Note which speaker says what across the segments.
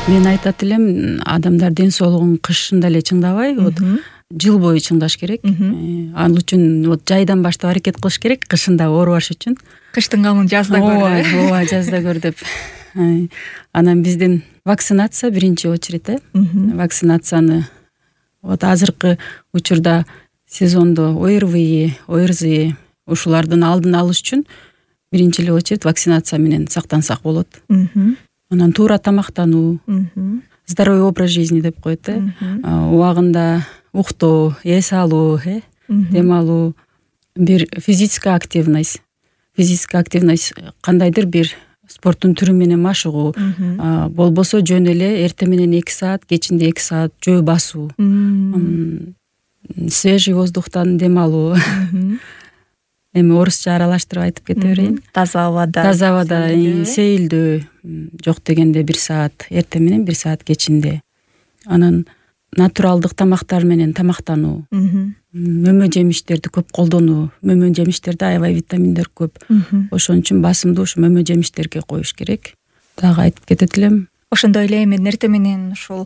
Speaker 1: Мен айтат элем, адамдар ден соолугун кышында эле чыңдабай, вот жыл бою чыңдаш керек. Ал үчүн вот жайдан баштап аракет кылыш керек, кышында оорубаш үчүн.
Speaker 2: Кыштын камын жазда көр.
Speaker 1: Ооба, жазда көр деп. Анан биздин вакцинация биринчи очередь. Вакцинацияны вот азыркы учурда сезондо ОРВИ, ОРЗИ ушулардын алдын алыш үчүн биринчи эле очередь вакцинация менен сактансак болот. Анан туура тамактануу, здоровый образ жизни деп коет. Убагында уктоо, эс алуу, дем алуу, бир физическая активность кандайдыр бир спорттун түрү менен машыгуу, болбосо жөн эле эртең менен 2 саат, кечинде 2 саат жөө басуу, свежий воздухтан дем алуу. Эми орусча аралаштырып айтып кете берейин.
Speaker 2: Таза абада
Speaker 1: сейилдөө, жок дегенде 1 саат эртең менен, 1 саат кечинде. Анан натуралдык тамактар менен тамактануу, мөмө жемиштерди көп колдонуу. Мөмө жемиштерде аябай витаминдер көп. Ошон үчүн басымды ушу мөмө жемиштерге коюш керек. Дагы айтып кетет элем.
Speaker 2: Ошондой эле мен эртең менен ушул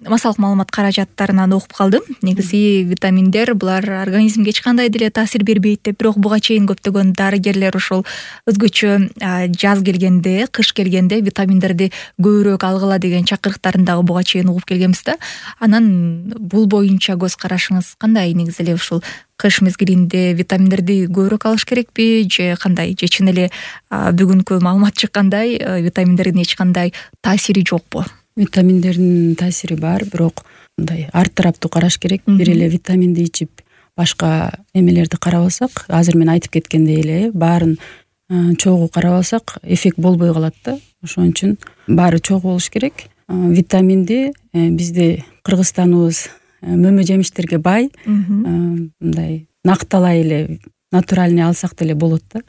Speaker 2: массалык маалымат каражаттарынан окуп калдым. Негизи витаминдер булар организмге эч кандай деле таасир бербейт деп, бирок буга чейин көптөгөн дарыгерлер ушул өзгөчө жаз келгенде, кыш келгенде витаминдерди көбүрөөк алгыла деген чакырыктарын дагы буга чейин угуп келгенбиз да. Анан бул боюнча көз карашыңыз кандай? Негизи эле ушул кыш мезгилинде витаминдерди көбүрөөк алыш керекпи же кандай? Же чын эле бүгүнкү маалымат чыккандай витаминдердин эч кандай таасири жокпу?
Speaker 1: Витаминдердин таасири бар, бирок мындай ар тараптуу караш керек. Бир эле витаминди ичип башка эмелерди карабасак, азыр мен айтып кеткендей эле баарын чогуу карабасак эффект болбой калат да. Ошон үчүн баары чогуу болуш керек. Витаминди бизди Кыргызстаныбыз мөмө жемиштерге бай, мындай накталай эле натуральный алсак деле болот да.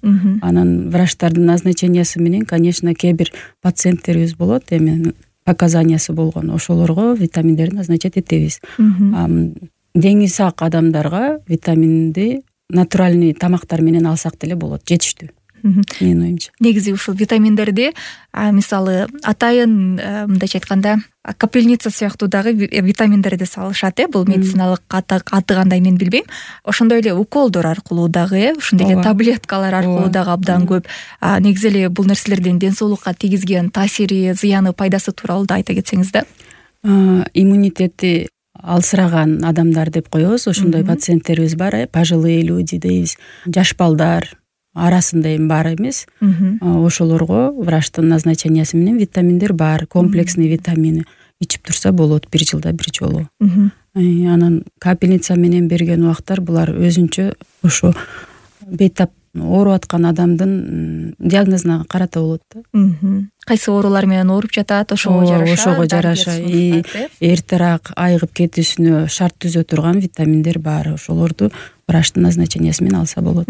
Speaker 1: Анан врачтардын назначениясы менен, конечно, кээ бир пациенттерибиз болот, эми показаниясы болгон, ошолорго витаминдерди назначать этебиз. Деңи сак адамдарга витаминди натуральный тамактар менен алсак деле болот, жетиштүү. Менин оюмча.
Speaker 2: Негизи ушул витаминдерди мисалы атайын мындайча айтканда капельница сыяктуу дагы витаминдерди салышат. Бул медициналык аты кандай мен билбейм. Ошондой эле уколдор аркылуу дагы, ошондой эле таблеткалар аркылуу дагы абдан көп. Негизи эле бул нерселердин ден соолукка тийгизген таасири, зыяны, пайдасы тууралуу да айта кетсеңиз да.
Speaker 1: Иммунитети алсыраган адамдар деп коебуз. Ошондой пациенттерибиз бар, пожилые люди дейбиз. Жаш балдар арасында эми бар эмес. Ошолорго врачтын назначениясы менен витаминдер бар, комплексный витамини ичип турса болот 1 жылда 1 жолу. Анан капельница менен берген убактар булар өзүнчө ошо бейтап ооруп аткан адамдын диагнозуна карата болот да.
Speaker 2: Кайсы оорулар менен ооруп жатат, ошого жараша
Speaker 1: эртерээк айыгып кетүүсүнө шарт түзө турган витаминдер бар. Ошолорду врачтын назначениясы менен алса болот.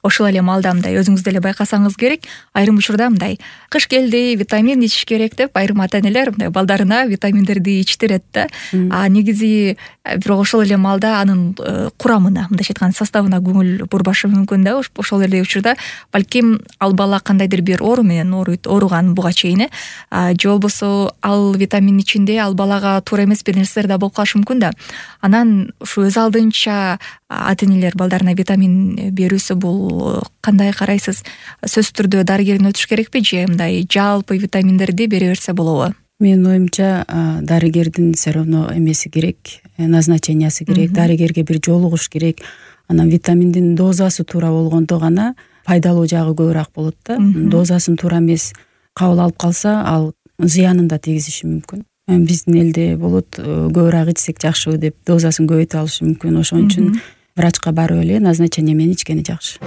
Speaker 2: Ошол эле маалда мындай өзүңүз деле байкасаңыз керек, айрым учурда мындай кыш келди, витамин ичиш керек деп айрым ата-энелер мындай балдарына витаминдерди ичтирет да. Негизи бирок ошол эле маалда анын курамына, мындайча айтканда составына көңүл бурбашы мүмкүн да. Ошол эле учурда балким ал бала кандайдыр бир оору менен ооруган буга чейин, же болбосо ал витамин ичинде ал балага туура эмес бир нерселер да болуп калышы мүмкүн да. Анан ушу өз алдынча ата-энелер балдарына витамин берүүсү бул кандай карайсыз? Сөзсүз түрдө дарыгерден өтүш керекпи же мындай жалпы витаминдерди бере берсе болобу?
Speaker 1: Менин оюмча дарыгердин все равно эмеси керек, назначениясы керек, дарыгерге бир жолугуш керек. Анан витаминдин дозасы туура болгондо гана пайдалуу жагы көбүрөөк болот да. Дозасын туура эмес кабыл алып калса, ал зыянын да тийгизиши мүмкүн. Биздин элде болот, көбүрөөк ичсек жакшыбы деп дозасын көбөйтүп алышы мүмкүн. Ошон үчүн врачка барып эле назначение менен ичкени жакшы.